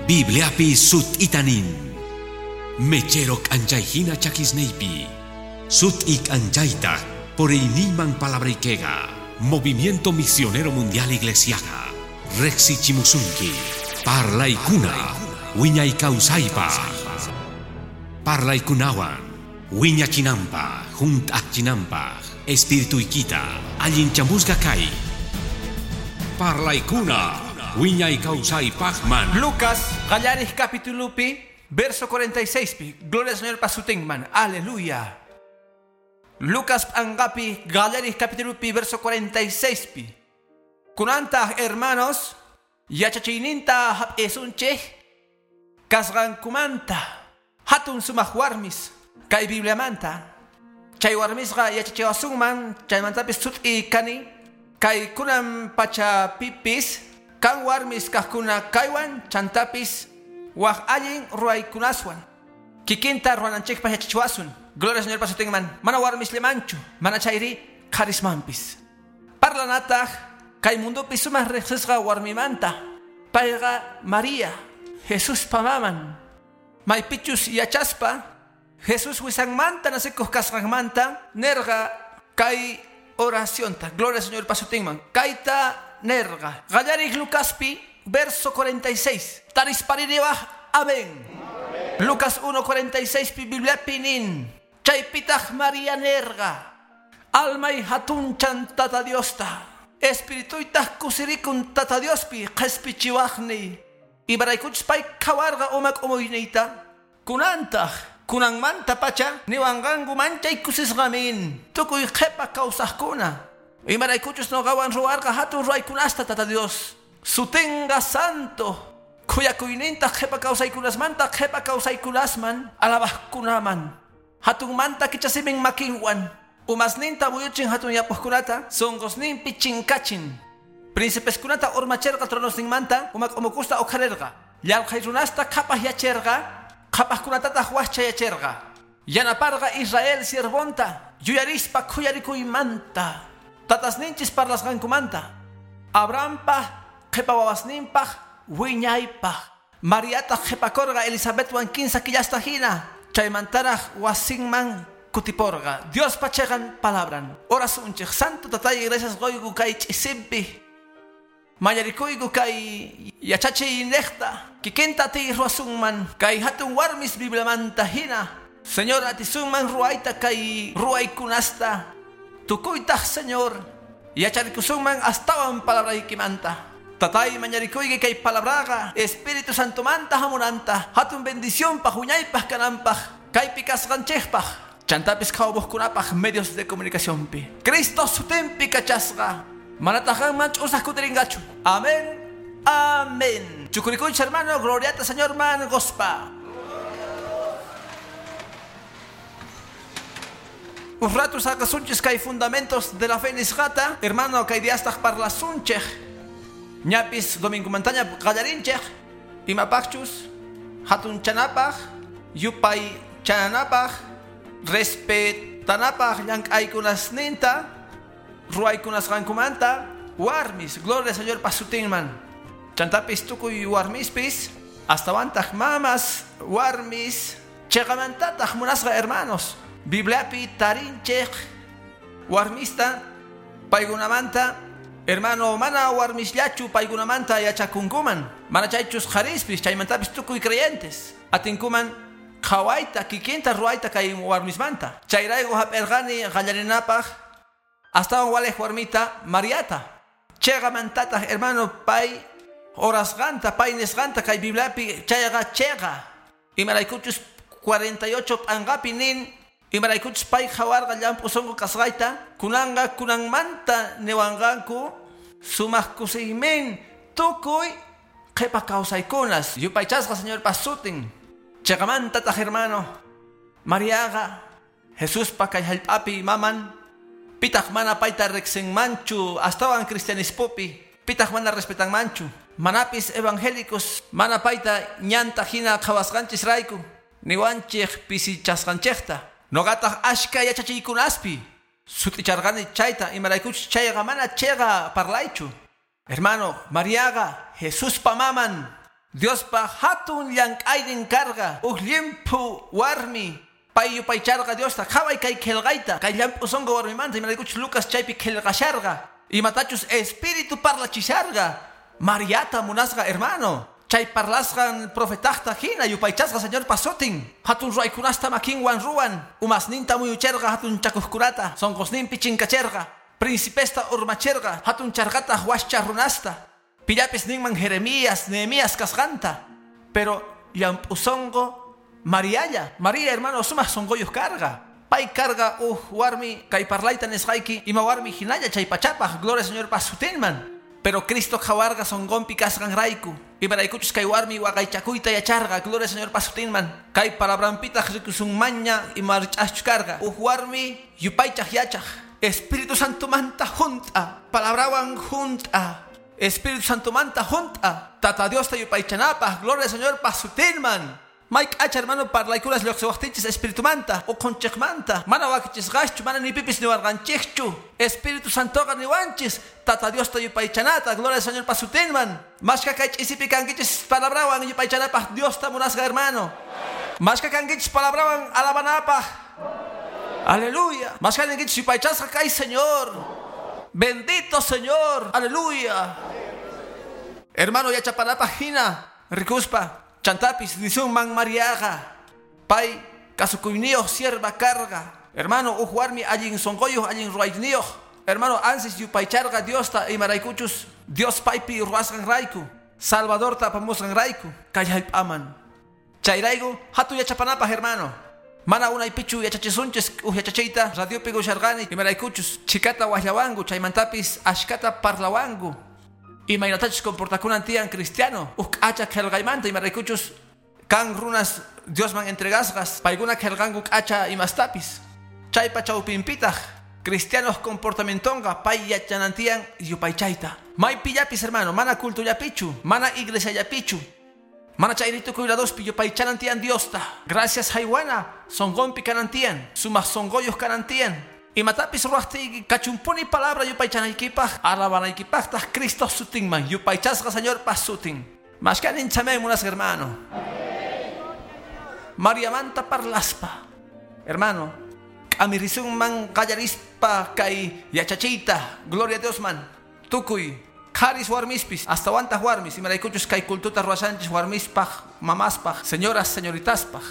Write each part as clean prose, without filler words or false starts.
Bibliapi sut'itanin. Mechero k'anchayhina chakisniypi. Sut'i k'anchaytaq puriyniyman palabraykiqa. Movimiento Misionero Mundial Iglesiaqa. Riqsichimusunki. Parlaykuna. Wiñay kawsaypaq. Parlaykunawan. Wiñachinanpaq, hunt'achinanpaq. Espirituykita allinchamusqa kay. Parlaykuna. Wiñay kawsaypaqman. Lucas, qallariq capitulupi, verso 46 pi. Gloria al Señor pasutinman. Aleluya. Lucas p'anqapi, qallariq capitulupi, verso 46 pi. Kunantaq hermanos, yachachiyninta hap'isunchik, kasqankumanta, hatun sumaq warmis, kay Bibliamanta. Chay warmisqa yachachiwasunman, chaymantapis sut'i kani, kay kunan pachapipis, kan warmis kaqkuna kaywan chantapis waq allin ruwaykunaswan. Kikinta ruwananchikpaq yachachiwasun. Gloria al Señor pasutinman. Mana warmisllamanchu, mana chayri qharismanpis. Parlanataq kay mundupi sumaq riqsisqa warmimanta. Payqa María, Jesuspa maman. Maypichus yachaspa, Jesús wisanmanta nasikuq kasqanmanta nerqa kay oracionta. Gloria al Señor pasutinman. Kayta nerqa. Qallariq Lucaspi, verso 46. Tarispaririwaj, amén. Lucas 1:46 pi Bibliapi nin. Chaypitaq María nerqa. Almay hatunchan Tata Diosta. Espirituytaq kusirikun Tata Diospi qhispichiwaqniy. Imaraykuchus pay qhawarqa uma k'umuyniyta. Kunantaq kunanmanta pacha niwanqanku manchay kusisqamin. Tukuy qhipa kawsaqkuna. Imaraykuchus nuqawan ruwarqa hatun ruwaykunasta Tata Dios. Sutinqa santo. Khuyakuyninta qhipa kawsaykunasmanta qhipa kawsaykunasman alabaqkunaman. Hatunmanta kichasimin makinwan. Umasninta muyuchin hatun yapuqkunata sunqusninpi chinkachin. Príncipeskunata urmacherqa tronosninmanta uma k'umukusta uqharirqa. Llalqhay runasta qhapaq yacherqa, qhapaqkunatataq waqchayacherqa. Yanaparqa Israel siervonta, yuyarispa khuyarikuymanta. Tatasninchis parlasqankumanta. Abrahampaq qhipa wawasninpaq wiñaypaq. Mariataq qhipakurqa Elizabetwan kinsa killasta hina. Chaymantaraq wasinman kutiporqa. Diospa chiqan palabran. Orasunchik. Santo Tatay, gracias qoyku kay ch'isinpi. Mañarikuyku kay yachachiynejta. Kikinta atiy ruwasunman. Kay hatun warmis Bibliamanta hina. Señor, atisunman ruwayta kay ruwaykunasta. Tukuytaq, Señor, yacharikusunman astawan palabraykimanta. Tatay, mañarikuyki kay palabraqa Espíritu Santomanta hamunanta. Hatun bendicionpaq, wiñaypaq kananpaq, kaypi kasqanchikpaq. Chantapis qhawbuqkunapaq medios de comunicacionpi. Cristo sutinpi kachasqa. Manataq qanman ch'usaq kutirinqachu. Amén. Amén. Chukurikuychik, hermano, gloriata Señor man gospa. Uj rato saqasunchis kay fundamentos de la fe nisqata, hermano, kay diastaq parlasunchik. Ñapis domingomantaña qallarinchik. Imapaqchus hatunchanapaq, yupay chananapaq, respetanapaq llank'aykunasninta, ruwaykunasqankumanta, warmis, gloria al Señor pasutinman. Chantapis tukuy warmispis, astawantaq mamas, warmis, chiqamantataq munasqa hermanos. Bibliapi tarinchik warmista paykunamanta, hermano, mana warmisllachu paykunamanta yachakunkuman. Mana chaychus qharispis, chaymantapis tukuy creyentes. Atinkuman qhawayta, kikinta ruwayta kay warmismanta. Chayrayku hap'irqani qallarinapaq astawan waliq warmita Mariata. Chiqamantataq, hermano, pay orasqanta, pay nisqanta kay Bibliapi chayqa chiqa. Imaraykuchus 48 p'anqapi nin. Imaraykuchus pay qhawarqa llamp'u sunqu kasqayta, kunanqa kunanmanta niwanqanku sumaq kusiymin tukuy qhipa kawsaykunas. Yupaychasqa Señor pasutin. Chiqamantataq, hermano, Mariaqa Jesuspa kay hallp'api maman, pitaq mana payta riqsinmanchu astawan cristianismopi, pitaq mana respetanmanchu. Manapis evangélicos mana payta ñanta hina qhawasqanchisrayku, niwanchik pisichasqanchikta. Noqataq ashka yachachiykunaspi sut'icharqani chayta, imaraykuchus chayqa mana chiqa parlaychu. Hermano, Mariaqa Jesuspa maman. Diospa hatun llank'aynin karqa uj llimphu warmi pay yupaycharqa Diosta qhaway kay qillqayta kay llamp'u sunqu warmimanta imaraykuchus Lucas chaypi qillqasharqa imatachus espíritu parlachisharqa Mariata munasqa hermano chay parlasqan profetaqta hina yupaychasqa Señorpa sutin hatun ruwaykunasta makinwan ruwan umasninta muyucherqa hatun chakuqkunata sunqusninpi chinkacherqa principesta urmacherqa hatun charqataq wascha runasta pillapis ninman Jeremías, Nehemías kasqanta pero llamp'u sunqu Marialla, María hermano sumaq sunquyuq karqa pay karqa uj warmi kay parlayta nisqayki ima warmi hinalla chay pachapaq gloria Señorpa sutinman pero Cristo qhawarqa sunqunpi kasqanrayku imaraykuchus kay warmi waqaychakuyta yacharqa gloria Señorpa sutinman kay palabranpitaq rikusunmanña ima rich'aschu karqa uj warmi yupaychaq yachaq Espíritu Santomanta junt'a palabrawan junt'a Espíritu Santomanta junt'a Tata Diosta yupaychanapaq gloria Señorpa sutinman Mike H hermano parlaykunas lluqsiwaqtinchis Espiritumanta uqunchikmanta mana wakichisqaschu mana ni pipis niwarqanchikchu Espíritu Santoqa niwanchis Tata Diosta yupaychanata gloria Señorpa sutinman mashka kay ch'isipi kankichis palabrawan yupaychanapaq Diosta munasqa hermano mashka kankichis palabrawan alabanapaq aleluya mashka ninkichis yupaychasqa kay Señor. Bendito Señor, aleluya. Hermano yachapanapaq hina rikuspa chantapis nisunman Mariaqa pay kasukuyniyuq sierva karqa hermano uj warmi allin sunquyuq allin ruwayniyuq hermano ansis yupaycharqa Diosta imaraykuchus Dios paypi ruwasqanrayku Salvadorta apamusqanrayku kay hallp'aman chayrayku hatun yachapanapaq hermano mana unaypichu yachachisunchis uj yachachiyta radiopi gusharqani imaraykuchus chikata waqllawanku chaymantapis ashkata parlawanku imaynatachus comportakunan tiyan cristiano uj k'acha qillqaymanta imaraykuchus kan runas Diosman entregasqas paykuna qillqanku k'acha imastapis chaypa chawpinpitaq cristianos comportamientonqa pay yachanan tiyan yupaychayta maypillapis hermano mana cultullapichu mana iglesiallapichu mana chayri tukuy ladospi yupaychanan tiyan Diosta gracias haywana sunqunpi kanan tiyan sumaq sunquyuq kanan tiyan imatapis ruwaqtiyki kachumpuni palabra yupaychanaykipaq alabanaykipaqtaq Cristo sutinman yupaychasqa Señorpa sutin mashkanin chamay munasqa hermano Mariamanta parlaspa hermano k'amirisunman qallarispa kay yachachiyta gloria a Diosman tukuy qharis warmispis astawantaq warmis imaraykuchus kay cultuta ruwashanchis warmispaq mamaspaq señoras señoritaspaq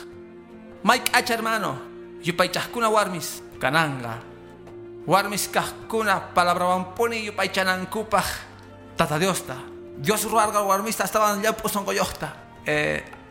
may k'acha hermano yupaychaqkuna warmis kananqa warmis kaqkuna palabrawanpuni yupaychanankupaq Tata Diosta Dios ruwarqa warmista astawan llamp'u sunquyuqta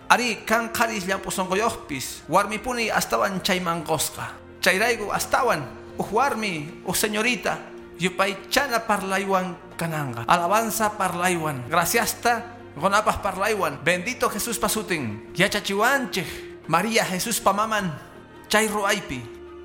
ari kan qharis llamp'u sunquyuqpis warmipuni astawan chayman qusqa chayrayku astawan uj warmi uj señorita yupaychana parlaywan kananqa alabanza parlaywan graciasta qunapaq parlaywan bendito Jesuspa sutin yachachiwanchik María Jesuspa maman chay ruwaypi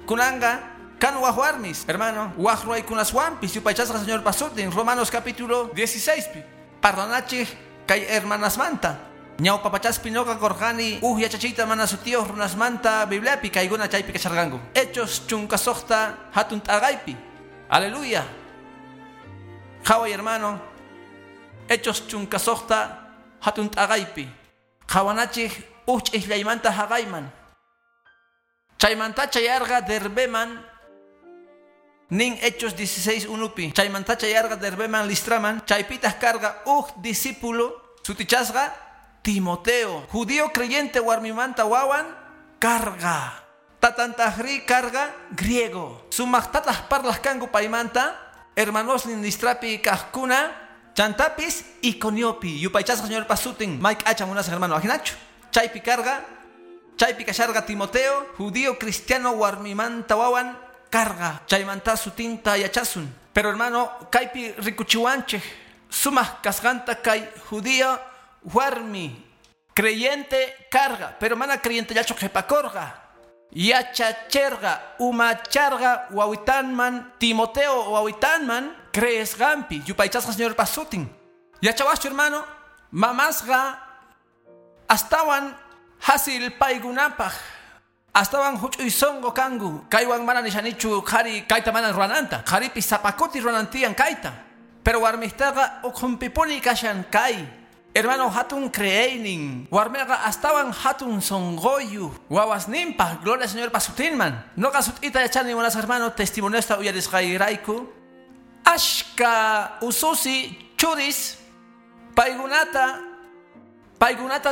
kunanqa kan waj warmis hermano waj ruwaykunaswanpis yupaychasqa Señorpa sutin Romanos capítulo 16 pi parlanachik kay hermanasmanta ñawpa pachaspi ñuqa qurqani uj yachachiyta mana sutiyuq runasmanta Bibliapi kaykuna chaypi kacharqanku Hechos 16 hatun t'aqaypi aleluya qhaway hermano Hechos 16 hatun t'aqaypi qhawanachik uj ch'islaymanta haqayman chaymanta chayarqa Derbeman nin Hechos 16 unupi chaymanta chayarqa Derbeman Listraman chaypitaq karqa uj discípulo sutichasqa Timoteo judío creyente warmimanta wawan karqa tatantaqri karqa griego sumaqtataq parlaq kanku paymanta hermanosnin Listrapi kaqkuna chantapis Iconiopi yupaychasqa Señorpa sutin may k'acha munasqa hermano ajinachu chaypi karqa chaypi kasharqa Timoteo judío cristiano warmimanta wawan karqa chaymanta sutinta yachasun pero hermano kaypi rikuchiwanchik sumaq kasqanta kay judío warmi creyente karqa pero mana creyentellachu qhipakurqa yachacherqa umacharqa wawitanman Timoteo wawitanman creesqanpi yupaychasqa Señorpa sutin yachawaschu hermano mamasqa astawan hasil paykunapaq astawan huch'uy sunqu kanku kaywan mana nishanichu qhari kayta mana ruwananta qharipis sapakuti ruwanantiyan kayta pero warmistaqa ukhunpipuni kashan kay Hermano, hatun creeynin. Warmeqa astawan hatun sonqoyu. Wawasninpaq, gloria al Señor pasutinman. Noqa sut'ita yachani munasqa hermano, testimoniosta uyarisqayrayku. Ashka ususi churis paykunata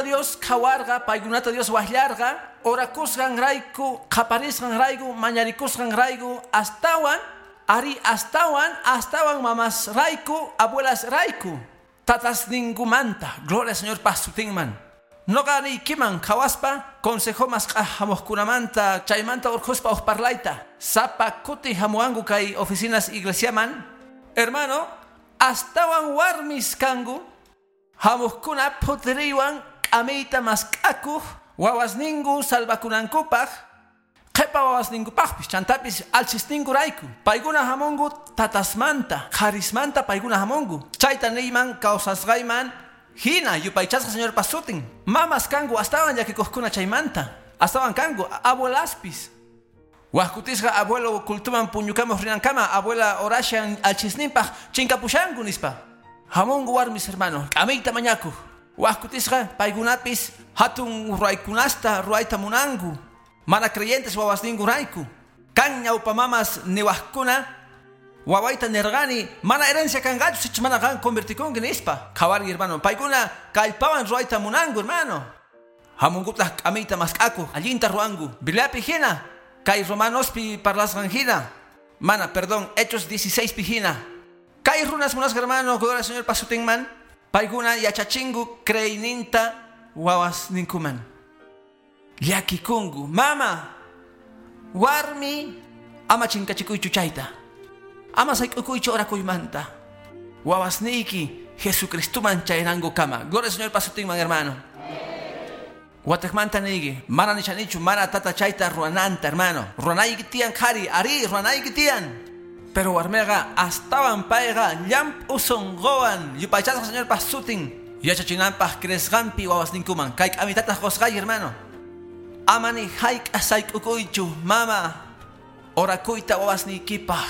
Dios khawarqa, paykunata Dios waqllarqa, orakusqanrayku, qaparisqanrayku, mañarikusqanrayku, astawan, ari astawan, astawan mamasrayku, abuelasrayku. Tatas ningumanta, gloria al Señor pasutinman. Noqa niykiman khawaspa, consejo masq'aj hamuqkunamanta, chaymanta urqhuspa uj parlayta. Sapa kuti hamuwanku kay oficinas iglesiaman. Hermano, astawan warmis kanku, hamuqkuna phutiriywan k'amiyta mask'akuq, wawasninku salvakunankupaq, qhipa wawasninkupaqpis, chantapis alchisninkurayku. Paykuna hamunku tatasmanta, qharismanta paykuna hamunku. Chayta niyman kawsasqayman hina yupaychasqa Señor pasutin. Mamas kanku astawan llakikuqkuna chaymanta. Astawan kanku abuelaspis. Wajkutisqa abuelo cultuman puñukamuq rinankama, abuela orashan alchisninpaq chinkapushanku nispa. Hamunku warmis hermano, k'amiyta mañakuq. Wajkutisqa paykunapis hatun ruwaykunasta ruwayta munanku. Mana creyentes wawasninkurayku. Kan ñawpa mamas niwaqkuna wawayta nirqani mana herencia kanqachu sichus mana qan convertikunki nispa. Qhawari hermano, paykuna kallpawan ruwayta munanku hermano. Hamunkutaq k'amiyta mask'akuq, allinta ruwanku. Bibliapi hina, kay Romanospi parlasqan hina. Mana, perdón, Hechos 16 pi hina. Kay runas munasqa hermano, gloria al Señor pasutinman. Paykuna yachachinku creeyninta wawasninkuman. Llakikunku, mama, warmi, ama chinkachikuychu chayta. Ama sayk'ukuychu orakuymanta. Wawasniyki Jesucristuman chaynankukama. Gloria al Señor pasutinman, hermano. Watekmanta niyki, mana nishanichu, mana tata chayta ruwananta, hermano. Ruwanayki tiyan qhari, ari, ruwanayki tiyan. Pero warmiqa astawan payqa llamp'u sunquwan yupaychasqa Señor pasutin. Yachachinanpaq creesqanpi wawasninkuman. Kay k'amitataq qusqay, hermano. Amani hayk'a sayk'ukuychu, mama. Orakuyta wawasniykipaq.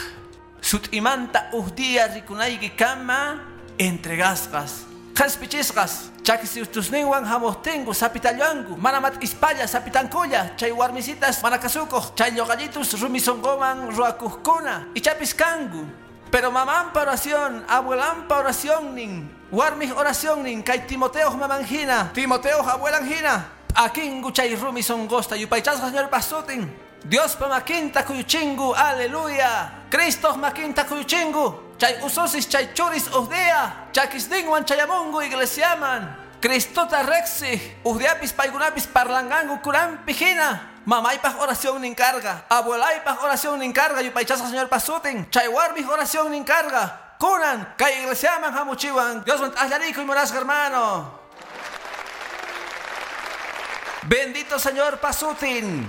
Sut'imanta uj día rikunayki kama entregasqas. Qhaspichisqas, chakistusninwan hamuqtinku sapitallanku, mana mat'ispalla sapitankulla, chay warmisitas mana kasukuq, chay lluqallitus rumi sunquman ruwakuqkuna, ichapis kanku. Pero mamanpa oración, abuelanpa oracionnin, warmij oracionnin, kay Timoteoj maman hina, Timoteoj abuelan hina, p'akinku chay rumi sunqusta, yupaychasqa Señor pasutin. Diospa makinta kuyuchinku, aleluya. Cristo makinta kuyuchinku. Chay ususis chay churis uj día, chakisninwan chayamunku iglesiaman. Cristota riqsij, uj diapis paykunapis parlanqanku kunanpi hina. Mamaypaq oración karqa, abuelaypaq oración karqa, yupaychasqa Señor pasutin. Chay warmij oración karqa. Kunan kay iglesiaman hamuchiwan. Diosman t'aqllarikuy munasqa hermano. Bendito Señor pasutin.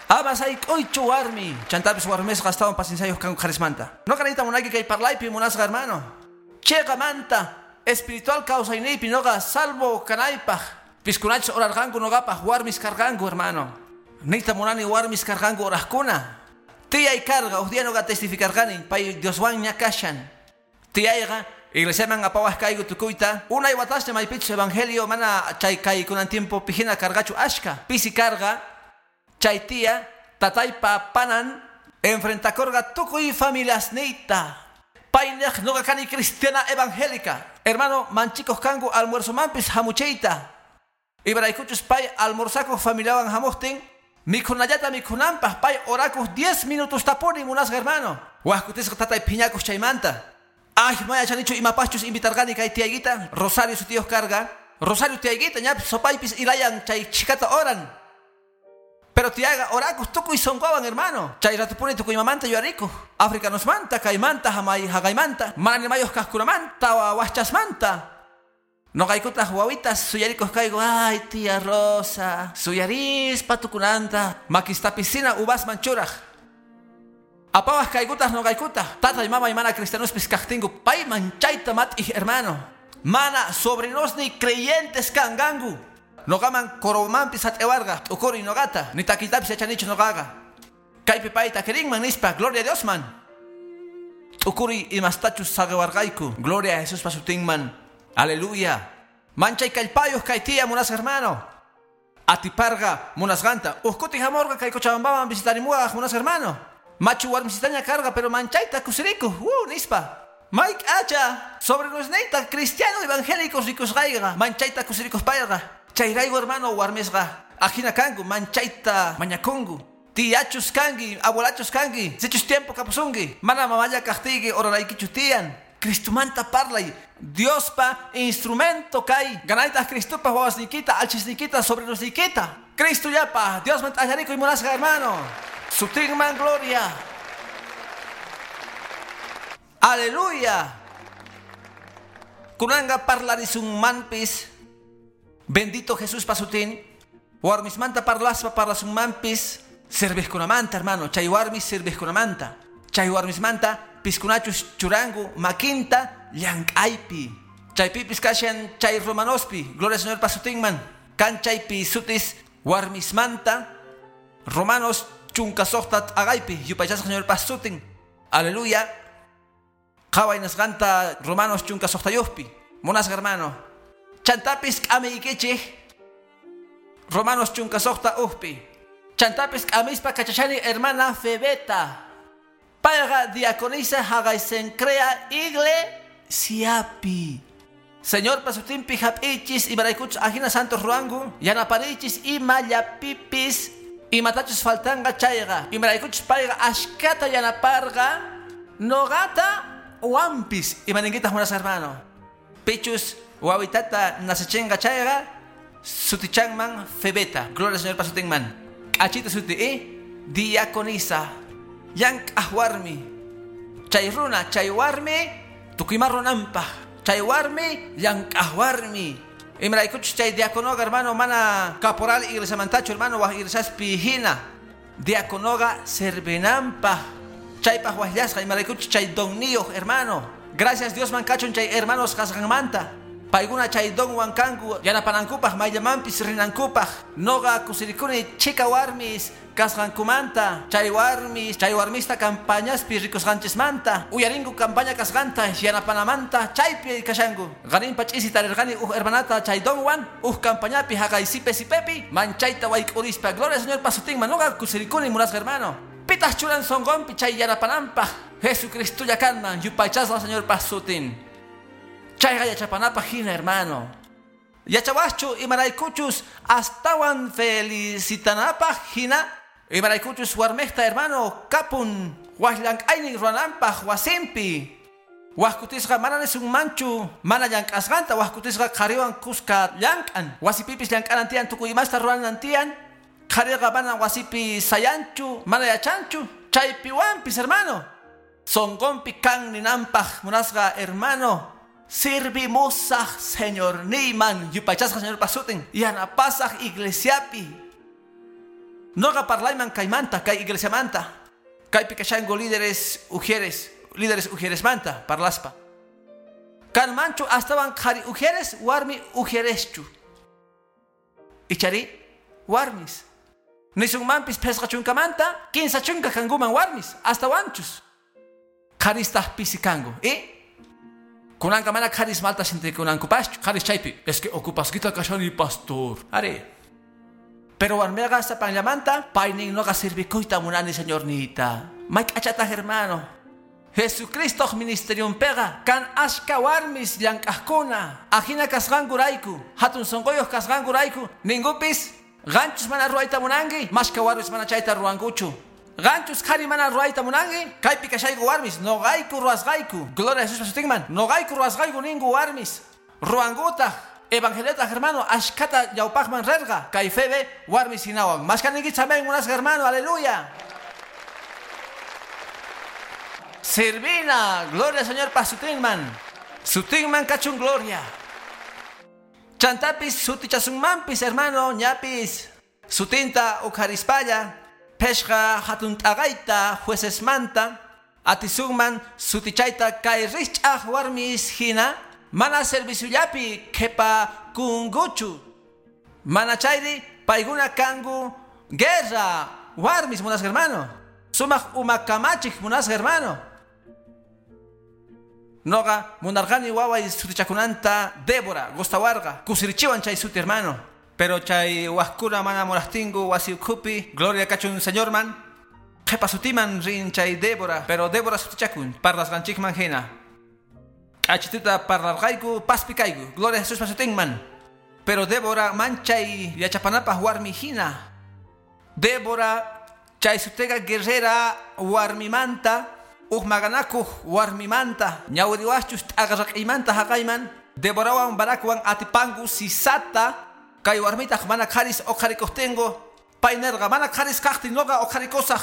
Ama sayk'uychu warmi. Chantapis warmisqa astawan pacienciayuq kanku qharismanta. Noqa niyta munayki kay parlaypi munasqa hermano. Chiqamanta espiritual kawsayniypi noqa salvo kanaypaq. Piskunachus orarqanku noqapaq warmis karqanku hermano. Niyta munani warmis karqanku oraqkuna. Tiyay karqa uj día noqa testificarqani pay Dioswanña kashan. Tiyayqa iglesiaman apawaq kayku tukuyta. Unay watasña maypichus evangelio mana chay kaykunan tiempo pijina karqachu ashka. Pisi karqa. Chay tía tataypa panan enfrentakorqa tukuy familiasniyta. Paynej noqa kani cristiana evangélica. Hermano, manchikuq kanku almuerzomanpis hamuchiyta. Imaraykuchus pay almorzakuq familiawan hamuqtin, mikhunallata mikhunanpaq pay orakuq 10 minutos tapuni munasqa hermano. Waj kutisqa tatay phiñakuq chaymanta. Ay, mana yachanichu imapaqchus invitarqani kay tiyaykita, Rosario sutiyuq karqa. Rosario tiyaykita ñapis sopaypis ilayan chay chhikata oran. Pero tiyaqa orakuq tukuy sunquwan hermano. Chay ratupuni tukuy imamanta yuyarikuq. Africanosmanta, kaymanta, hamay haqaymanta, mana nimayuq kaqkunamanta, wajchasmanta. Noqaykutaq wawitas suyarikuq kayku, ay tía Rosa, suyarispa tukunanta, makistapisina uvasman churaq. Apawaq kaykutaq noqaykutaq, tatay mamay mana cristianospis kaqtinku, payman chayta mat'ij hermano. Mana sobrinosniy creyentes kanqanku. Noqaman coromanpis sat'ewarqa, t'ukuriy noqata, ni takiytapis yachanichu noqaqa. Kaypi payta kirinman nispa, gloria a Diosman. T'ukuriy imastachus saqiwarqayku, gloria a Jesuspa sutinman. Aleluya. Manchay kallpayuq kay tiya munasqa hermano. Atiparqa munasqanta. Uqkuti hamurqa kay Cochabambaman visitarimuwaq munasqa hermano. Machu warmisitaña karqa pero manchayta kusirikuq. Nispa. Mike acha sobre neyta cristiano evangélicos rikusqayqa manchayta kusirikuspayqa. Chayrayku hermano warmisqa ajina kanku manchayta mañakunku. Tiyachus kanki, abuelachus kanki, sichus tiempo kapusunki, mana mamalla kaqtiyki oraraykichu tiyan. Cristumanta parlay, Diospa instrumento kay, ganaytaq Cristupa wawasniykita, alchisniykita, sobrenosniykita. Cristo llapa, Diosman t'allarikuy munasqa hermano. Sutinman gloria. Aleluya. Kunanga parlarisunmanpis. Bendito Jesús pasutin. Warmismanta parlaspa parlasunmanpis. Servijkunamanta, hermano. Chay warmis servijkunamanta. Chay warmismanta piskunachus churangu makinta llank'aypi. Chaypipis kashan chay romanospi. Gloria al Señor pasutinman. Kan chaypi sutis warmismanta. Romanos chunka suqta t'aqaypi. Yupaychasqa Señor pasutin. Aleluya. Qhaway nisqanta Romanos chunka suqtayuqpi. Munasqa hermano. Chantapis k'amiykichik. Romanos chunka suqta uqpi. Chantapis k'amispa kachashani hermana Febeta. Payqa diaconisa haqay Cencrea iglesiapi. Señor pasutinpi hap'ichis imaraykuchus ajina santos ruwanku yanaparichis imallapipis imatachus faltanqa chayqa imaraykuchus payqa ashkata yanaparqa noqata wampis imaninkitaq munasqa hermano. Pichus wawitata nasichinqa chayqa sutichanman Febeta. Gloria al Señor pasutinman. K'achita suti diaconisa. Llank'aq warmi. Chay runa, chay warmi, tukuyma runanpaq. Chay warmi, llank'aq warmi. Imaraykuchus chay diaconoqa hermano mana caporal iglesiamantachu hermano waj iglesiaspi hina. Diaconoqa servinanpaq. Chaypaq wajllasqa imaraykuchus chay donniyuq hermano. Gracias Diosman kachun chay hermanos kasqanmanta. Paykuna chay donwan kanku yanapanankupaq mayllamanpis rinankupaq. Noqa kusirikuni chika warmis kasqankumanta. Chay warmis, chay warmista campañaspi rikusqanchismanta. Uyarinku campaña kasqanta yanapanamanta chaypi kashanku. Qaninpa ch'isi tarirqani uj hermanata chay donwan uj campañapi haqay sipe sipepi manchayta wayk'urispa. Gloria al Señor pasutinman. Noqa kusirikuni munasqa hermano. Pitaq churan sonqonpi chay yanapananpaq. Jesucristo kanman yupaychasqa Señor pasutin. Chayqa yachapanapaq hina hermano. Yachawaschu imaraykuchus astawan felicitanapaq hina. Imaraykuchus warmejta hermano kapun waj llank'aynin ruwananpaq wasinpi. Wajkutisqa mana nisunmanchu mana llank'asqanta wajkutisqa qhariwan kuska llank'an. Wasipipis llank'anan tiyan tukuy imasta ruwanan tiyan. Qhariqa mana wasipi sayanchu mana yachanchu. Chaypiwanpis hermano. Sonqonpi kan ninanpaq munasqa hermano. Servimusaq Señor niman yupaychasqa Señor pasutin yanapasaq iglesiapi. Noqa parlayman kaymanta kay iglesiamanta. Kaypi kashanku líderes ujieres, líderes ujieresmanta parlaspa. Kanmanchu astawan qhari ujieres warmi ujiereschu. Ichari warmis. Nisunmanpis phesqa chunkamanta kinsa chunka kankuman warmis astawanchus. Qharistaq pisi kanku. Kunanka mana qharis malta sintikunankupaschu. Qharis chaypi es que ocupasquita kashani pastor. Ari. Pero warmiqa sapanllamanta paynin noqa sirvikuyta munani Señornita. Mayk'achataq hermano. Jesucristo ministeriumpiqa kan ashka warmis llank'aqkuna. Ajina kasqankurayku, hatun sunquyuq kasqankurayku, ninkupis qanchus mana ruwayta munanki, mashka warmis mana chayta ruwankuchu. Qanchus qhari mana ruwayta munanki, kaypi kashayku warmis, noqayku ruwasqayku. Gloria a Jesús pasutinman. Noqayku ruwasqayku ninku warmis. Ruwankutaq evangeliotaq hermano ashkata ñawpaqman rirqa. Kay Febe warmis hinawan. Mashka ninkichis amén munasqa hermano, aleluya. Servina, gloria al Señor pasutinman. Sutinman kachun gloria. Chantapis sutichasunmanpis hermano ñapis. Sutinta uqharispalla. Phesqa hatun t'aqayta juecesmanta. Atisunman sutichayta kay rich'aq warmis hina. Mana serviciollapi qhipa kunkuchu. Mana chayri paykuna kanku guerra warmis munasqa hermano. Sumaq umakamachik munasqa hermano. Noqa munarqani waway sutichakunanta Débora gustawarqa kusirichiwan chay suti, hermano. Pero chay wajkuna mana munaqtinku wasi ukhupi, gloria kachun Señorman, qhipa sutiman rin chay Débora, pero Débora sutichakun parlasqanchikman hina. K'achituta parlarqayku paspi kayku, gloria a Jesuspa sutinman. Pero Débora manchay yachapanapaq warmi hina. Débora chay sutega guerrera warmimanta, uj maqanakuq warmimanta, ñawiriwachus t'aqarraq'iymanta haqayman, Déborawan Barakwan atipanku Sisata, kay warmitaq mana qharis uqharikuqtinku, pay nirqa mana qharis kaqtin noqa uqharikusaq.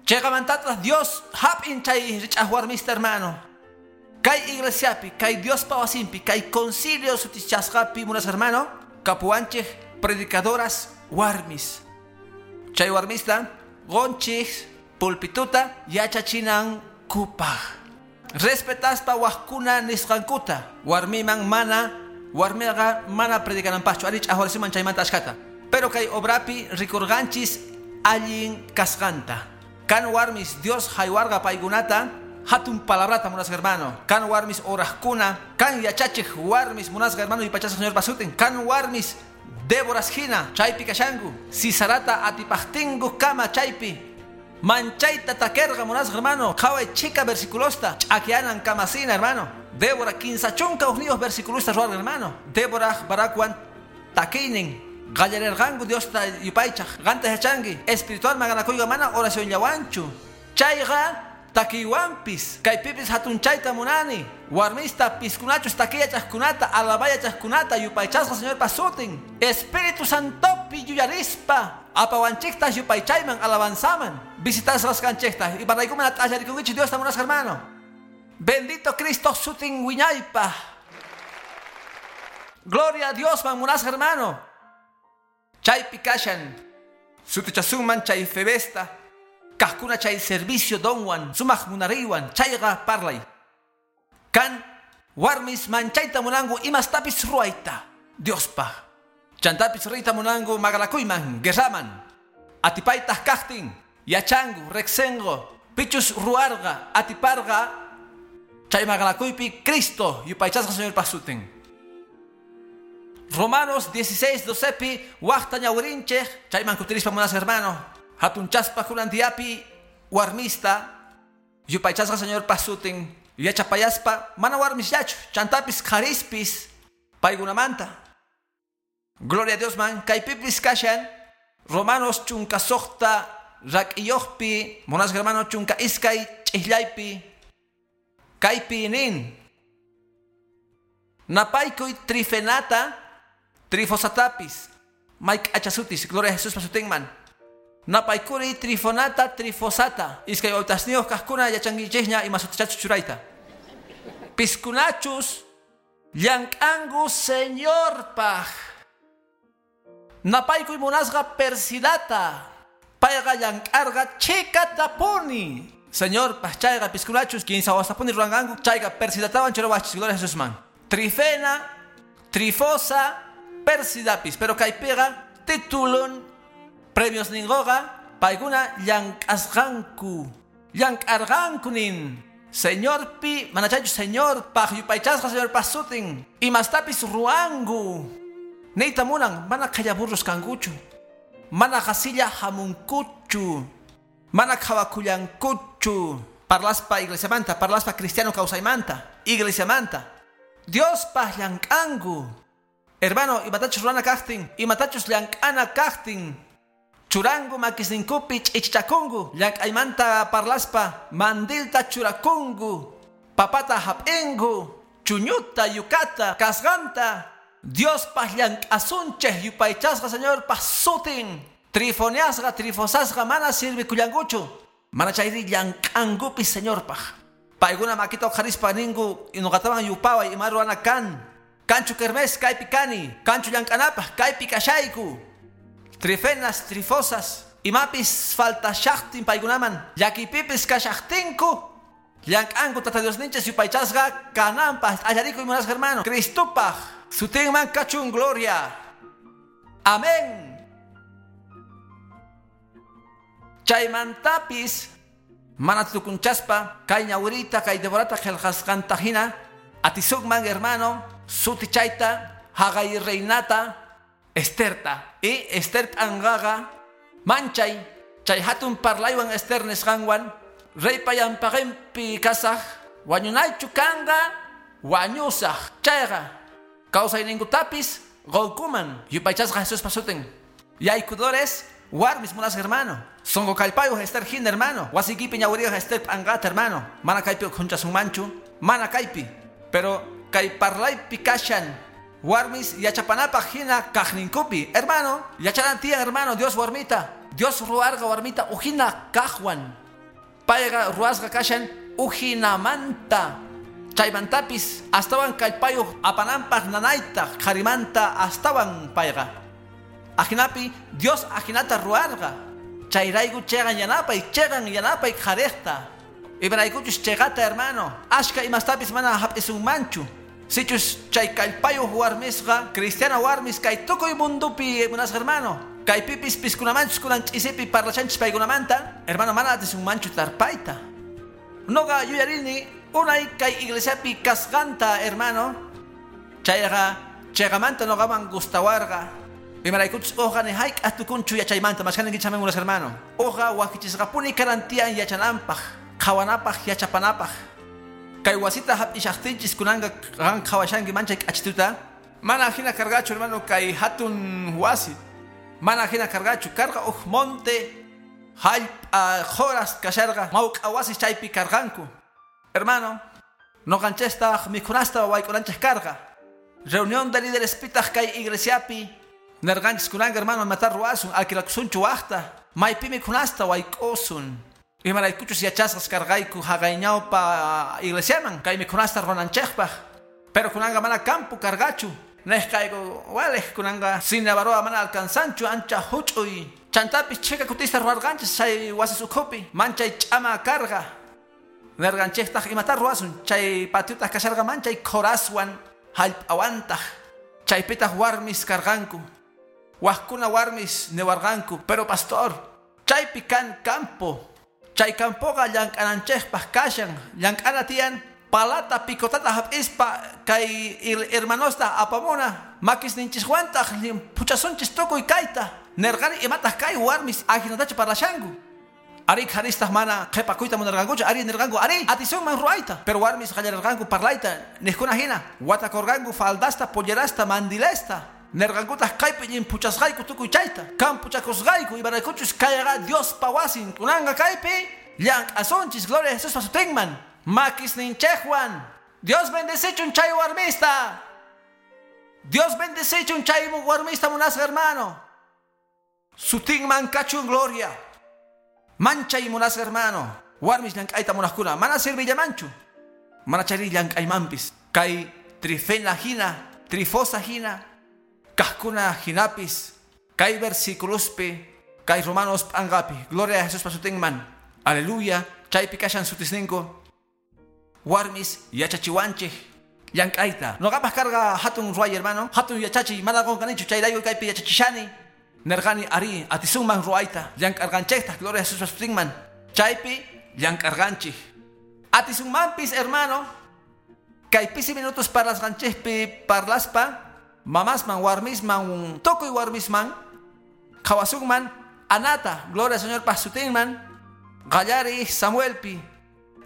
Chayqamantataq Dios hap'in chay rich'aq warmista, hermano. Kay iglesiapi, kay Diospa wasinpi, kay concilio sutichasqapi munas, hermano, kapuwanchik predicadoras warmis. Chay warmista qunchik pulpituta yachachinankupaq. Respetaspa wajkuna nisqankuta, warmiman mana, warmiqa mana predicananpaqchu, ari ch'aqwarisiman chaymanta ashkata. Pero kay obrapi rikurqanchis allin kasqanta. Kan warmis Dios haywarqa paykunata hatun palabrata munasqa, hermano. Kan warmis oraqkuna, kan yachachiq warmis munasqa, hermano, yupaychasqa Señorpa sutin. Kan warmis Déboras hina chaypi kashanku, Sisarata atipaqtinku kama chaypi. Manchayta takerqa munasqa, hermano. Qhaway chika versiculosta ch'akyanan kamasina, hermano. Débora 31 versiculosta ruwarqa, hermano. Débora Barakwan takiynin qallarerqanku Diosta yupaychaq. Qanta yachanki espiritual maqanakuyqa mana oracionllawanchu. Chayqa takiywanpis kaypipis hatunchayta munani. Warmista piskunachus takiyachaqkunata alabayachaqkunata yupaychasqa Señorpa sutin. Espíritu Santopi yuyarispa apawanchikta yupaychayman alabanzaman. Visitasqasqanchikta imaraykuman at'allarikunkichik Diosta munasqa, hermano. Bendito Cristo sutin wiñaypa. Gloria a Dios man munasqa, hermano. Chaypi kashan sutichasunman chay Febesta kaqkuna chay servicio donwan sumaq munariywan chayqa parlay. Kan warmis manchayta munanku imastapis ruwayta Diospaq. Chantapis riyta munanku maqanakuyman guerraman. Atipaytaq kaqtin yachanku riqsinku pichus ruwarqa atiparqa chay maqanakuypi Cristo yupaychasqa Señorpa sutin. Romanos 16:12pi waqta ñawirinchik chayman kutirispa munasqa, hermano. Hatunchaspa kunan diapi warmista yupaychasqa Señorpa sutin yachapayaspa mana warmisllachu chantapis qharispis paykunamanta. Gloria a Dios man kaypipis kashan Romanos 16 rak'iyuqpi munasqa, hermano, 12 ch'ijllaypi kaypi nin napaykuy Trifenata Trifosatapis mayk'achasutis, gloria a Jesuspa sutinman. Napaykuri Trifonata Trifosata iskay wawtasniyuq kaqkuna yachankichikña ima sutichachus churayta. Piskunachus llank'anku Señorpaq. Napaykuy munasqa Persidata payqa llank'arqa chhikatapuni Señorpaq. Chayqa piskunachus 15 wastapuni ruwanqanku chayqa Persidatawan churawachis, gloria a Jesusman. Trifena, Trifosa, Persidapis, pero kaypiqa titulun premios ningoqa paykuna llank'asqanku llank'arqanku nin Señorpi manachaychu Señorpaq yupaychasqa Señorpa sutin imastapis ruwanku niyta munan mana qhallaburros kankuchu, mana qasilla hamunkuchu, mana qhawakullankuchu. Parlaspa iglesiamanta, parlaspa cristiano kawsaymanta, iglesiamanta Diospaq llank'anku. Hermano, imatachus ruwana kaqtin, imatachus llank'ana kaqtin, churangu makisninkupi ch'ichichakunku, llank'aymanta parlaspa mandilta churakunku, papata hap'inku, chuñuta, yukata, kasqanta. Diospaq llank'asunchik yupaychasqa Señorpa sutin. Trifoniasqa, trifosasqa mana sirvikullankuchu, mana chayri llank'ankupis Señorpaq. Paykuna makita uqharispa ninku nuqatawan yupaway ima ruwana kan. Kanchu kermés kaypi kani, kanchu llank'anapaq kaypi kashayku. Trifenas, trifosas, imapis faltashaqtin paykunaman, llakipipis kashaqtinku, llank'anku Tata Diosninchis yupaychasqa kananpaq. Allarikuy munasqa, hermano. Cristopaq sutinman kachun gloria. Amén. Chaymantapis Mana tukunchaspa kay ñawirita kay Deborata qillqasqanta hina atisukman hermano sutichayta haqay reinata Esterta y Ester p'anqaqa manchay chay hatun parlaywan Ester nisqanwan reypa yanpaqinpi kasaq wañunaychu kanqa wañusaq chayqa kawsayninkutapis qunkuman yupaychasqa Jesuspa sutin yaykudores warmis munasqa hermano sonqo kallpayuq Ester hina hermano wasiykipi ñawiriyuq Ester p'anqata hermano mana kaypi ukhunchasunmanchu mana kaypi pero kay parlaypi kashan warmis yachapanapaq hina kaqninkupi hermano yachanan tiyan hermano Dios warmita Dios ruwarqa warmita ujina kaqwan payqa ruwasqa kashan ujinamanta chaymantapis astawan kallpayuq apananpaq nanayta qharimanta astawan payqa ajinapi Dios ajinata ruwarqa chayrayku chiqan yanapay qhariqta imaraykuchus chiqata hermano ashka imastapis mana hap'isunmanchu sichus chay kallpayuq warmisqa cristiana warmis kay tukuy mundupi munasqa hermano kaypipis piskunamanchus kunan ch'isipi parlachanchis paykunamanta hermano mana atisunmanchu tarpayta noqa yuyarini unay kay iglesiapi kasqanta hermano chayqa chayqamanta noqaman gustawarqa imaraykuchus uqa ni hayk'aq tukunchu yachaymanta mashkaninkichik munasqa hermano uqa wakichisqapuni karantiyan yachananpaq qhawanapaq yachapanapaq kay wasita hap'ishaqtinchis kunanqa qan qhawashanki manchay k'achituta mana hina karqachu hermano kay hatun wasi mana hina karqachu karqa uj monte hallp'a qhuras kasharqa mawk'a wasis chaypi karqanku hermano noqanchistaq mikhunasta wayk'unanchik karqa reunión de líderes pitaq kay iglesiapi nerqanchis kunanqa hermano imata ruwasun alquilakusunchu waqta maypi mikhunasta wayk'usun imaraykuchus yachasqas karqayku haqay ñawpa iglesiaman kay mikhunasta ruwananchikpaq pero kunanqa mana campo karqachu nej kayku waliq kunanqa Sinabaroa mana alcanzanchu ancha huch'uy chantapis chhika kutista ruwarqanchis chay wasis ukhupi manchay ch'ama karqa nerqanchiktaq imata ruwasun chay patiotaq kasharqa manchay khoraswan hallp'awantaq chaypitaq warmis karqanku waqkuna warmis niwarqanku pero pastor chaypi kan campo chay campoqa llank'ananchikpaq kashan llank'ana tiyan palata picotata hap'ispa kay hermanosta apamuna makisninchikwantaq phuchasunchis tukuy kayta nerqani imataq kay warmis ajinatachu parlashanku ari qharistaq mana qhipakuyta munarqankuchu ari nirqanku ari atisunman ruwayta pero warmis qallararqanku parlayta niqkuna hina watakurqanku faldasta pollerasta mandilesta nerqankutaq kaypi llimphuchasqayku tukuy chayta kampuchakusqayku imaraykuchus kayqa Diospa wasin kunanqa kaypi llank'asunchis gloria a Jesuspa sutinman makisninchikwan Dios bendecichun chay warmista Dios bendecichun chay warmista munasqa hermano sutinman kachun gloria manchay munasqa hermano warmis llank'ayta munaqkuna mana sirvillamanchu mana chayri llank'aymanpis kay Trifena hina Trifosa hina kaqkuna hinapis kay versiculospi kay Romanos p'anqapi gloria a Jesuspa sutinman aleluya chaypi kashan sutisninku warmis yachachiwanchik llank'ayta noqapaq karqa hatun ruway hermano hatun yachachiy mana qunqanichu chayrayku kaypi yachachishani nerqani ari atisunman ruwayta llank'arqanchiktaq gloria a Jesuspa sutinman chaypi llank'arqanchik atisunmanpis hermano kay pisi minutos parlasqanchikpi parlaspa mamasman warmisman tukuy warmisman qhawasunman anata gloria al Señor pa sutinman qallariy Samuelpi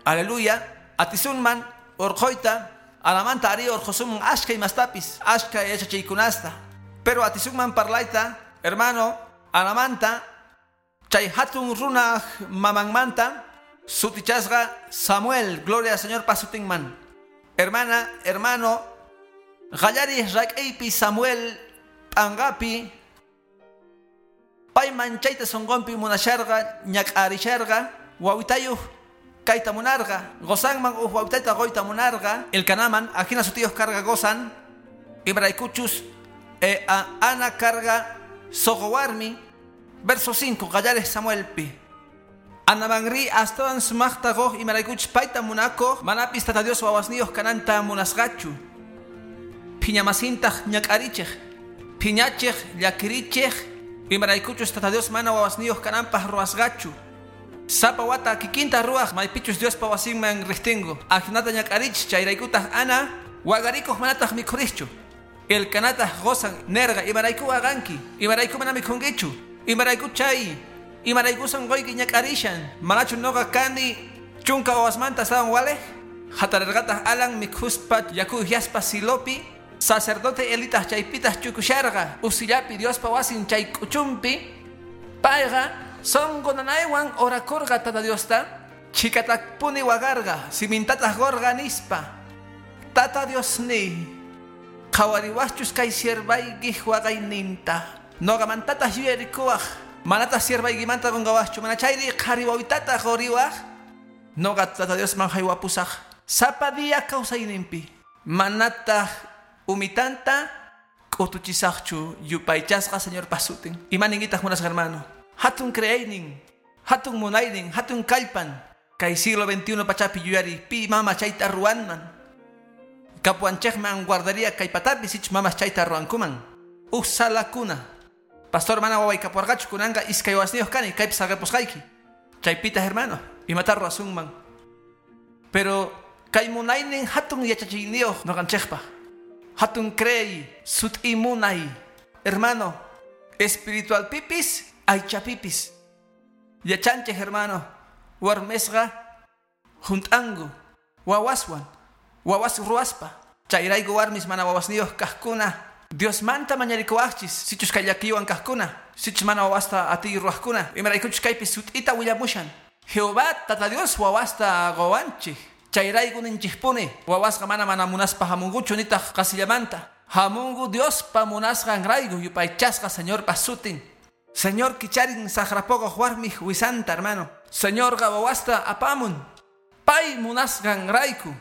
aleluya atisunman urquyta anamanta ari urqusunman ashka imastapis ashka yachachiykunasta pero atisunman parlayta hermano anamanta chay hatun runaq mamanmanta sutichasqa Samuel gloria al Señor pa sutinman hermana hermano qallariy rak'iypi Samuel p'anqapi pay manchayta sunqunpi munasharqa ñak'arisharqa wawitayuq kayta munarqa gosanman uj wawitayta quyta munarqa Elcanaman ajina sutiyuq karqa gosan imaraykuchus Ana karqa suqu warmi verso 5 qallariq Samuelpi Anamanri astawan sumaqta quq imaraykuchus payta munakuq manapis Tata Dios wawasniyuq kananta munasqachu phiñamasintaq ñak'arichiq phiñachiq llakirichiq imaraykuchus Tata Dios mana wawasniyuq kananpaq ruwasqachu Sapa wata kikinta ruwaj maypichus Diospa wasinman riqtingu. Ajinata ñak'arich chayraykutaq Ana wagarikuq manataq mikhuriqchu. Elkanataq qosan nerqa imarayku waqanki, imarayku mana mikhunkichu, imarayku chay, imarayku sunquyki ñak'arishan, manachu nuqa kani chunka wawasmanta astawan waliq? Hatarerqataq Alan mikhuspa yaku uhyaspa Silopi, sacerdote Elitaq chaypitaq chukusharqa usillapi Diospa wasin chay k'uchunpi. Payqa sunqu nanaywan orakurqa Tata Diosta, chhikataqpuni waqarqa, simintataq qurqa nispa: Tata Diosniy, qhawariwaqchus kay siervaykiq waqayninta, nuqamantataq yuyarikuwaq, manataq siervaykimanta qunqawaqchu, mana chayri qhari wawitataq quriwaq, nuqa Tata Diosman haywapusaq sapa día kawsayninpi, manataq umitanta k'utuchisaqchu yupaychasqa Señorpa sutin. Imaninkitaq munasqa hermano? Hatun creeynin, hatun munaynin, hatun kallpan, kay siglo XXI pachapi yuyari pi mama chayta ruwanman. Kapuanchejman guardaría kay patapi sich mamas chayta ruwankuman. Uj salakuna. Pastor mana waway kapuarqachu kunanqa iskay wasniyuq kani kaypi saqipusqayki. Chaypita hermano, imata ruwasunman. Pero kay munaynin hatun yachachiyniyuq nuqanchikpaq. Hatun creey, sut'i munay. Hermano, espiritual pipis, aycha pipis. Yachanchik hermano, warmisqa junt'anku wawaswan, wawas ruwaspa. Chayrayku warmis mana wawasniyuq kaqkuna, Diosmanta mañarikuwaqchis, sichus kay llakiywan kaqkuna, sichus mana wawasta atiy ruwaqkuna, imaraykuchus kaypi sut'ita willamushan. Jehová Tata Dios wawasta quwanchik. Chayrayku ninchikpuni, wawasqa mana mana munaspa hamunkuchu nitaq qasillamanta. Hamunku Diospa munasqanrayku yupaychasqa Señorpa sutin. Señor kicharin saqrapukuq warmiq wisanta, hermano. Señorqa wawasta apamun pay munasqanrayku.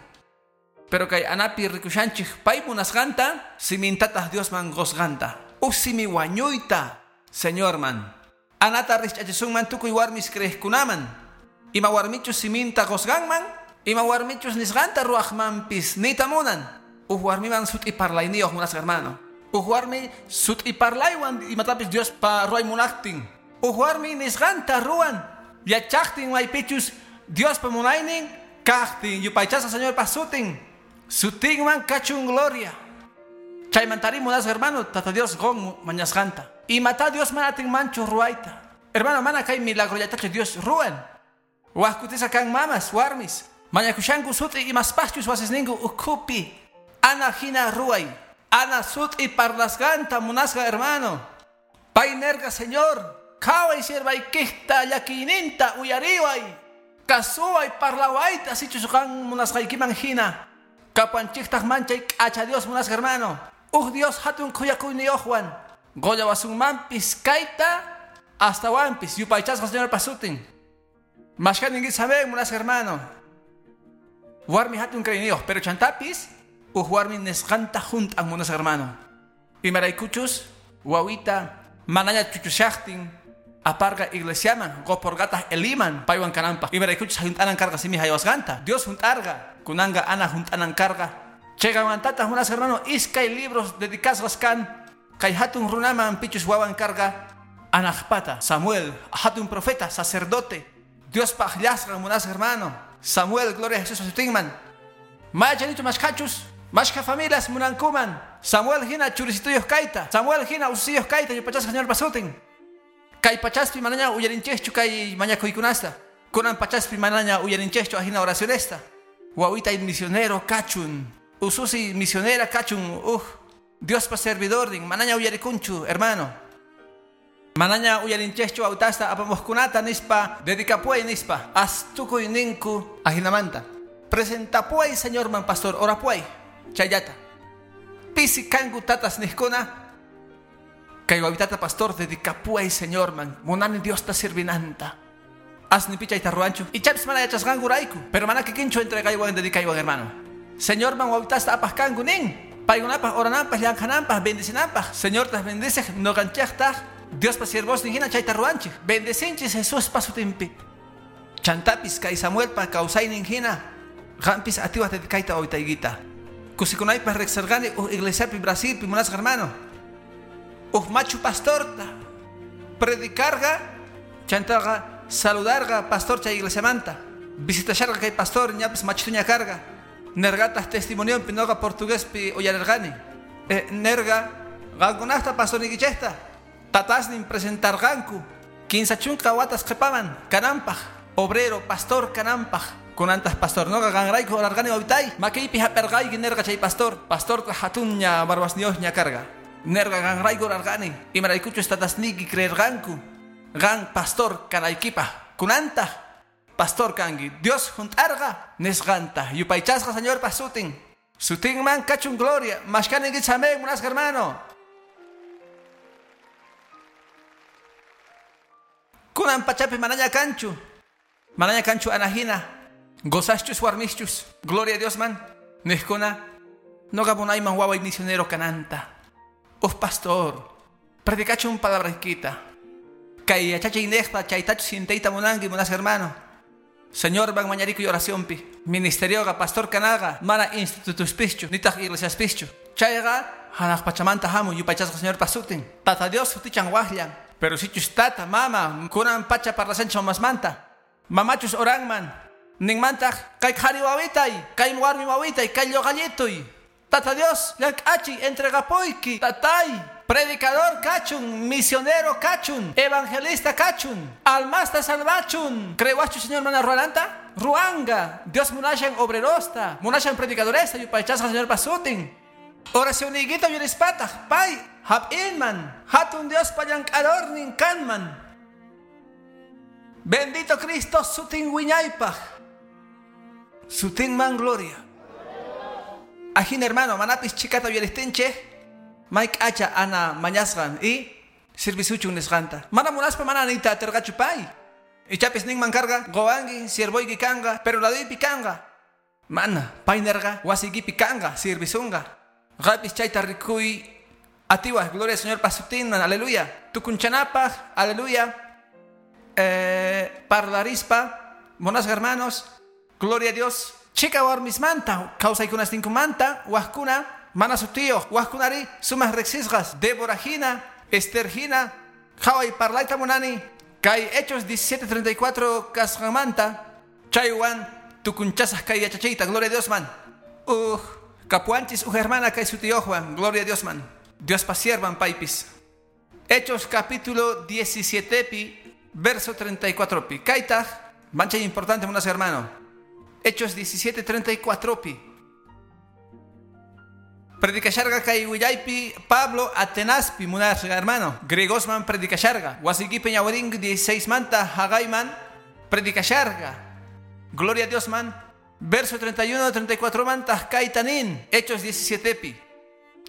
Pero kay anapi rikushanchik pay munasqanta, simintataq Diosman qusqanta. Uj simi wañuyta, Señorman. Anata rikch'achisunman tukuy warmis creeqkunaman. Ima warmichus siminta qusqanman, ima warmichus nisqanta ruwaqmanpis niyta munan. Uj warmiman sut'i parlayniyuq munasqa hermano. Uj warmi sut'i parlaywan imatapis Diospa ruway munaqtin. Uj warmi nisqanta ruwan, yachaqtin maypichus Diospa munaynin kaqtin yupaychasqa Señorpa sutin. Sutinman kachun gloria. Chaymantari munasqa hermano, Tata Dios qun mañasqanta. Imata Dios mana atinmanchu ruwayta. Hermano, mana kay milagrollatachu Dios ruwan. Waj kutisa kan mamas, warmis. Mañakushanku sut'i imaspaqchus wasisninku ukhupi. Ana hina ruway. Ana sut'i parlasqanta munasqa hermano. Pay nerqa, Señor, qhaway siervaykikta llakiyninta uyariway. Kasuway parlawayta sichus qan munasqaykiman hina. Kapanchiktaq manchay k'acha Dios munasqa hermano. Uj Dios hatun khuyakuyniyuqwan. Qollawasunmanpis kayta astawanpis yupaychasqa Señorpa sutin. Mashkaninki saben munasqa hermano. Warmi hatun creeyniyuq, pero chantapis uj warmi nisqanta junt'an munasqa hermano. Imaraykuchus wawita manaña chuchushaqtin aparqa iglesiaman qupurqataq Eliman paywan kananpaq. Imaraykuchus junt'anan karqa simi haywasqanta. Dios junt'arqa, kunanqa Ana junt'anan karqa. Chayqamantataq munasqa hermano iskay libros dedicasqas kan kay hatun runaman pichus wawan karqa Anaqpata Samuel, hatun profeta, sacerdote, Diospa akllasqan munasqa hermano. Samuel, gloria a Jesús sutinman. Mayachanichu mashkhachus, mashkha familias munankuman. Samuel hina churisituyuq kayta, Samuel hina ususiyuq kayta yupaychasqa Señorpa sutin. Kay pachaspi manaña uyarinchikchu kay mañakuykunasta. Kunan pachaspi manaña uyarinchikchu ajina oracionesta. Wawitay misionero kachun, ususi misionera kachun, uj Diospa servidornin manaña uyarikunchu, hermano. Manaña uyarinchikchu wawitasta apamuqkunata nispa, dedicapuay nispa, astukuy ninku ajinamanta. Presentapuay Señorman pastor, orapuay, chayllata. Pisi kanku tatas niqkuna, kay wawitata pastor dedicapuay Señorman, munani Diosta sirvinanta. Asni chayta ruwanchu, ichapis mana yachasqankurayku, pero mana kikinchu entregaywan dedicaywan hermano. Señorman wawitasta apaq kanku nin, paykunapaq orananpaq, llank'ananpaq, bendicinanpaq. Señortaq bendiciq, nuqanchiktaq Diospa siervosnin hina chayta ruwanchik. Bendecinchis Jesuspa sutinpi. Chantapis kay Samuelpa kawsaynin hina, qampis atiwaq dedicayta wawitaykita. Kusikunaypaq riqsirqani uj iglesiapi Brasilpi munasqa hermano. Uj machu pastorta predicarqa, chantaqa Saludarqa pastor chay iglesiamanta. Visitasharqa kay pastor ñapis machituña karqa. Nergataq testimonionpi noqa portuguespi uyarirqani. Nerga qankunaqta pastorniykichikta tatasnin presentarqanku 15 watas qhipaman kananpaq obrero pastor kananpaq. Kunantaq pastor noqa qanrayku orarqani wawitay makiypi hap'irqayki nerqa chay pastor. Pastorta hatunña barbasniyuqña karqa. Nerqa qanrayku orarqani imaraykuchus tatasniyki creerqanku qan pastor kanaykipaq. Kunantaq pastor kanki Dios junt'arqa nisqanta yupaychasqa Señorpa sutin. Sutinman kachun gloria. Mashkaninkichik amén munasqa hermano. Kunan pachapi manaña kanchu. Manaña kanchu anahina. Gozaschus warmischus. Gloria a Dios man. Nijkuna. Noqa munayman waway misionero kananta. Uf pastor. Predicachun palabraykita. Kay yachachiy niqta chaytachu sintayta munanki munasqa hermano. Señor van mañarikuy oracionpi. Ministerioqa pastor kanaqa mana institutuspichu nitaq iglesiaspichu. Chayqa hanaq pachamanta hamun yupaychasqa Señorpa sutin. Tata Dios sutichan waqllan. Pero sichus tata mama kunan pacha parlashanchik mamasmanta. Mamachus oranman. Ninmantaq kay qhari wawitay, kay warmi wawitay, kay lluqallituy. Tata Dios llank'achiy entregapuyki tatay. Predicador kachun, misionero kachun, evangelista kachun, almasta salvachun. Crewachu Señor mana ruananta? Ruanga. Dios munashan obrerosta, munashan predicadoresta, yupaychasqa Señor pasutin. Oracioniykita uyarispataq, pay hap'inman, hatun Dios pallank'adornin kanman. Bendito Cristo sutin wiñaypaq. Sutinman gloria. Ajin hermano, manapis chikata uyaristinchik. Mike acha ana mañasqan y servisuchun nisqanta. Mana munaspa mana niyta atirqachu pay. Ichapis ninman karqa qowanki siervoyki kanqa pero laduypi kanqa. Mana pay nerqa wasiykipi kanqa sirvisunqa. Qapis chayta rikuy atiwaj gloria al Señor pasutinman aleluya. Tukunchanapaq aleluya. Parlarispa monasqa hermanos gloria a Dios. Chika warmismanta kawsaykunasninkumanta wajkuna mana sutiyuq wajkunari sumaq riqsisqas Débora hina, Esther hina, qhaway parlayta munani kay Hechos 17:34 kasqanmanta chaywan tukunchasaq kay yachachiyta gloria a Dios man. Kapuanchis uj hermana kay sutiyuqwan gloria a Dios man. Diospa siervan paypis. Hechos capítulo 17 pi verso 34 pi. Kaytaq manchay importante munas hermano. Hechos 17:34 pi. Predicasharga kay willaypi Pablo Atenaspi munasqa hermano. Griegosman predicasharga. Wasiykipi ñawirin 16 manta haqayman predicasharga. Gloria a Dios man. Verso 31 34 manta kaytanin. Hechos 17 pi.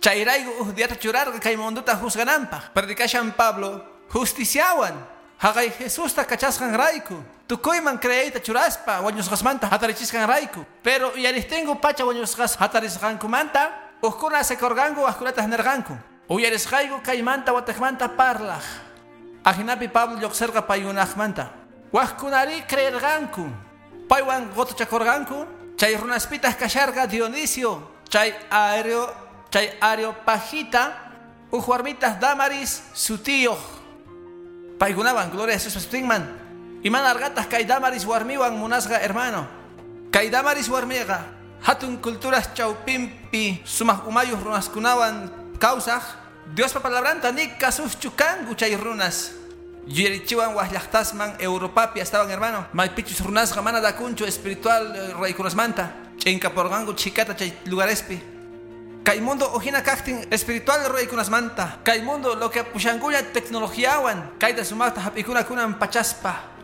Chayrayku uj diata churarqa kay munduta juzgananpaq. Predicashan Pablo justiciawan. Haqay Jesusta kachasqanrayku. Tukuyman creeyta churaspa wañusqasmanta hatarichisqanrayku. Pero uyaristingu pacha wañusqas hatarisqankumanta uqkuna sekorqanku wajkunataq nerqanku. Uyarisqayku kaymanta wataqmanta parlaq. Ajinapi Pablo lluqsirqa paykunaqmanta. Wajkunari creerqanku. Paywan qutuchakurqanku. Chay runaspitaq kasharqa Dionisio, chay Areopagita, uj warmitaq Damaris sutiyuq. Paykunawan gloria a Jesús sutinman. Iman arqataq kay Damaris warmiwan munasqa hermano. Kay Damaris warmiqa hatun culturas chawpinpi sumaq umayuq runaskunawan kawsaq Diospa palabranta ni kasuschu kanku chay runas. Yuyarichiwan waj llaqtasman Europapi astawan hermano. Maypichus runasqa mana dakunchu espiritual raykunasmanta. Ch'inkaporqanku chhikata chay lugarespi. Kay mundo ujina kaqtin espiritual raykunasmanta. Kay mundo lo que apushankuña tecnologiawan. Kayta sumaqta hap'ikuna kunan pachaspa.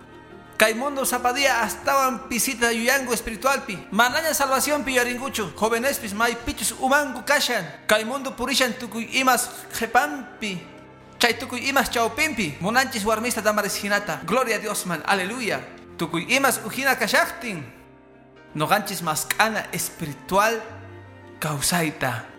Kay mundo zapadía astawan pisita yuyangu espiritualpi. Manaña salvación yuyarinkuchu. Jovenespis maypichus umanku kashan. Kay mundo purishan tukuy imas qhipanpi. Chay tukuy imas chawpinpi. Munanchis warmista Damaris hinata. Gloria a Dios man. Aleluya. Tukuy imas ujina kashaqtin. Noqanchis mask'ana espiritual kawsayta.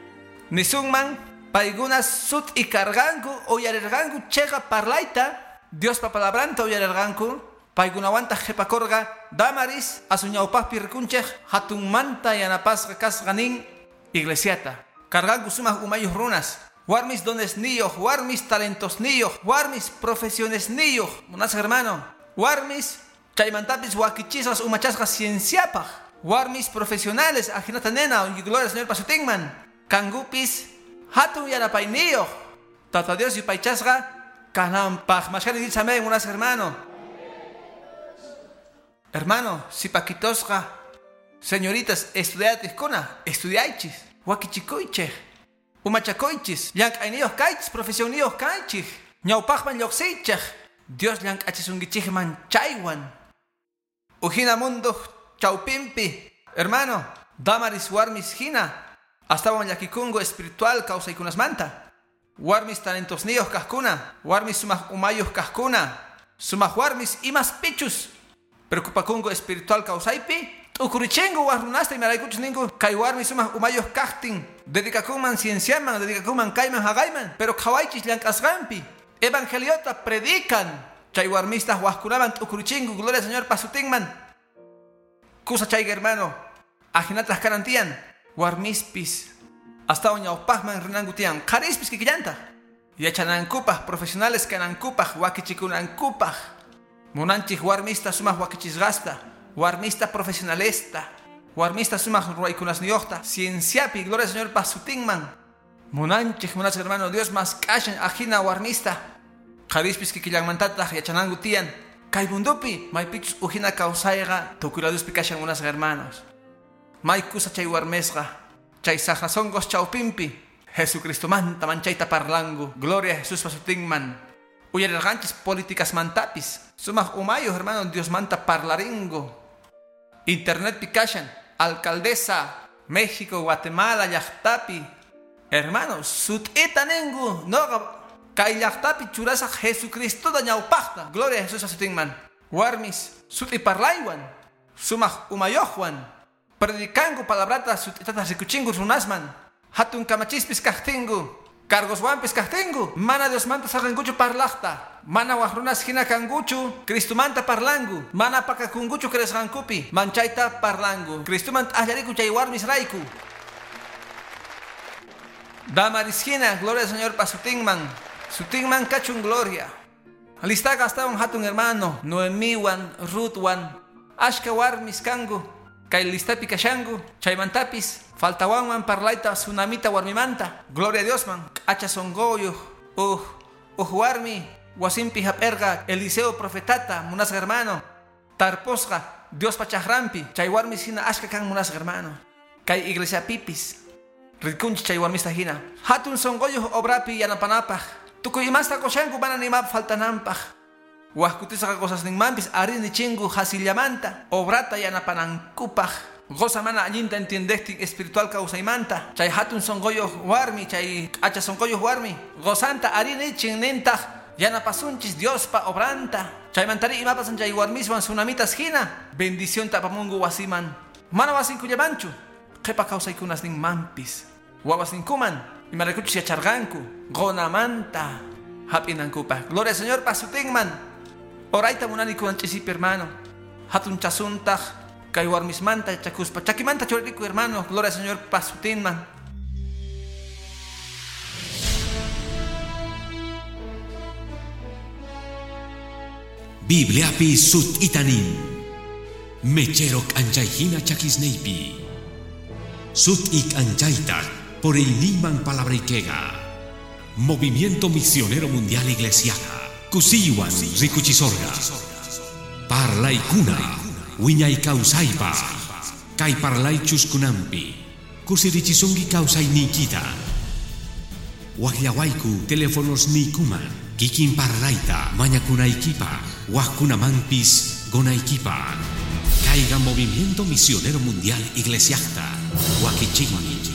Nisunman paykuna sut'i karqanku uyarirqanku chiqa parlayta. Diospa palabranta uyarirqanku. Paykunawantaq qhipakurqa Damaris asuñawpaqpi rikunchik hatunmanta yanapasqa kasqa nin iglesiata. Karqanku sumaq umayuq runas. Warmis donesniyuq, warmis talentosniyuq, warmis profesionesniyuq. Munasqa hermano, Warmis chaymantapis wakichisqas umachasqa cienciapaq. Warmis profesionales ajinata nena gloria al Señor pasutinman. Kangupis hatun yanapayniyuq. Tata Dios yupaychasqa kananpaq. Mashkani dice amén, unas hermano. Hermano, si paquitosqa, señoritas, estudiatiskuna, estudiaychis, wakichikuychej, umachakuychis, llank'ayniyuq kaychis, profesionniyuq kaychis, ñawpaqman lluqsiychej, Dios llank'achisunkichikman chaywan. Ujina mundo chawpimpi, hermano, damaris warmis hina, astawan llakikungu espiritual kawsaykunasmanta. Warmis talentosniyuq kajkuna, warmis sumaq umayuq kajkuna, sumaq warmis imas pichus. Preocupakungu espiritual kawsaypi, t'ukurichingu warrunasta imaraykuchus ninku kay warmi sumaq umayuq kajtin, dedicakunman cienciaman, dedicakunman kayman haqayman, pero qhawaychis llank'asqanpi, evangeliota predican, chay warmistaq wajkunaman t'ukurichingu, gloria al Señor pasutinman. Kusa chayqa hermano, ajinataq kanan tiyan, warmispis astawan ñawpaqman rinanku tiyan, qharispis kikillantaq, yachanankupaq, profesionales kanankupaq, wakichikunankupaq. Munanchik warmista sumaq wakichisqasta, warmista profesionalesta, warmista sumaq ruwaykunasniyuqta, cienciapi, gloria al Señor pasutinman. Munanchik, munachik hermano, Dios mas k'ashan ajina warmista. Qharispis kikillanmantataq yachananku tiyan. Kay mundupi, maypichus ujina kawsayqa tukuy laduspi kashan munasqa hermanos. May kusa chay warmisqa, chay saqrasonqos chawpinpi, Jesucristomanta manchayta parlangu, gloria a Jesús pasutinman. Uyarirqanchis políticas mantapis, sumaq umayuq hermano Dios manta parlaringo. Internetpi kashan, alcaldesa, México, Guatemala, llaqtapi. Hermano, sut'ita ninku, noqa kay llaqtapi churasaq Jesucristota ñawpaqta. Gloria a Jesús pasutinman. Warmis, sut'i parlaywan, sumaq umayuqwan, predicangu palabrata sut'itata rikuchingu runasman. Hatun kamachispis kajtinku, cargoswanpis kajtinku, mana Diosmanta saqankuchu parlaqta, mana waj runas hina kankuchu, Cristomanta parlangu, mana pakakunkuchu creesqankupi, manchayta parlangu, Cristoman t'aqllariku chay warmis rayku. Damaris hina, gloria al Señor pasutinman, sutinman kachun gloria. Listaqa astawan hatun hermano, Noemiwan, Ruthwan, ashka warmis kanku, kay listapi kashanku, chaymantapis, faltawanman parlayta tsunamita warmimanta, gloria a Diosman, k'acha sonqoyuq, uj warmi, wasinpi hap'erqa Eliseo profetata, munasqa hermano, tarposqa Diospa chaqranpi, chay warmis hina ashka kan munasqa hermano, kay iglesiapipis, rikunchik chay warmista hina, hatun sonqoyuq obrapi yanapanapaq, tukuy imasta qushanku mana nimap faltananpaq. Wajkutisqa cosasninmanpis arini chingu hasillamanta, obrata yanapanankupaq. Goza mana allinta entiendejtin espiritual kawsaymanta, chay hatun sonqoyuq warmi, chay k'acha sonqoyuq warmi, gozanta arini chinnintaq yanapasunchis Diospa obranta. Chaymantari imapasan chay warmiswan tsunamitas hina, bendicionta apamungu wasiman. Mana wasinkullamanchu, qhipa kawsaykunasninmanpis. Wawasninkuman, imaraykuchus yacharqanku, qunamanta hap'inankupaq. Gloria al Señor pasutinman. Orayta munani kunan ch'isipi hermano. Hatun chasuntaq kay warmismanta yachakuspa chakimanta churariku hermano. Gloria al Señor pasutinman. Bibliapi sut'itanin. Mechero k'anchayhina chakisniypi. Sut'i k'anchaytaq por el niman palabrayquega. Movimiento Misionero Mundial Iglesiaja. Kusiywan rikuchisorga. Parlaykuna wiñay kawsaypa. Kay parlaychus kunampi. Kusirichisunki kawsayniykita. Waqllawayku teléfonos niykuman. Kikin parlayta mañakunaykipaq. Waqkunamanpis gonaykipaq. Kayqa Movimiento Misionero Mundial Iglesiajta. Wakichikmi.